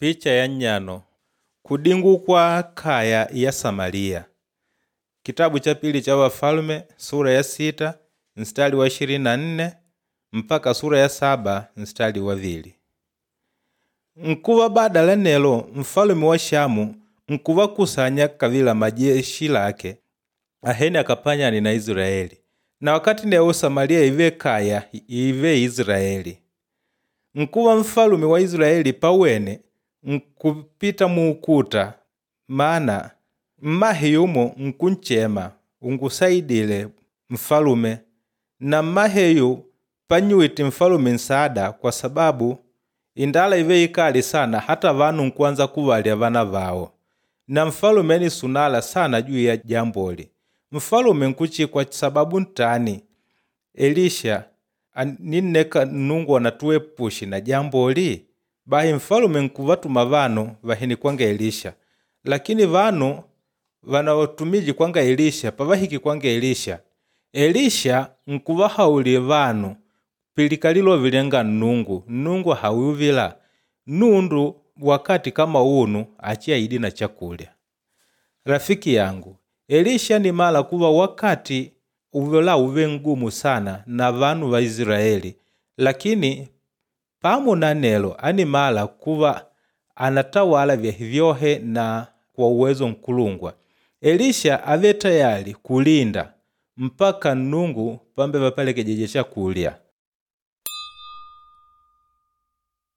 Picha ya nnyano kudingukwa kaya ya Samaliya. Kitabu cha pili cha Wafalume sura ya 6 mstari wa 24 mpaka sura ya 7 mstari wa 2. Nkuva badala nelo mfalume wa Shamu nkuvakusanya kavila majeshi lake ahene akapanyane na Israeli, na wakati newo Samaliya ive kaya ive Israeli. Nkuva mfalume wa Israeli pawene nkupita muukuta, mana mmahe yumo nkunchema, ungusaidile mfalume, na mmaheyu pannyuwite mfalume nsaada kwa sababu indala ive ikali sana hata vanu nkuanza kuvalya vana vawo. Na mfalume anisunala sana juu ya jamboli. Mfalume nkuchikwa sababu ntani Elisha aninneka Nnungu anatuepushe na jamboli? Bahi mfalume nkuvatuma vanu vahene kwanga Elisha, lakini vanu vanawatumije kwanga Elisha pavahiki kwanga Elisha, Elisha nkuvahaulila vanu pilika lilove lyanga Nnungu. Nnungu hawiwila nundu wakati kama unu achiaidi na chakulya. Rafiki yangu, Elisha ni mala kuva wakati uvela uve mgumu sana na vanu va Israeli, lakini pamo na nelo animala kuva anatawala vyahe vyohe na kwa uwezo nkulungwa. Elisha ave tayali kulinda mpaka Nnungu pambe vapelekejeje chakulya.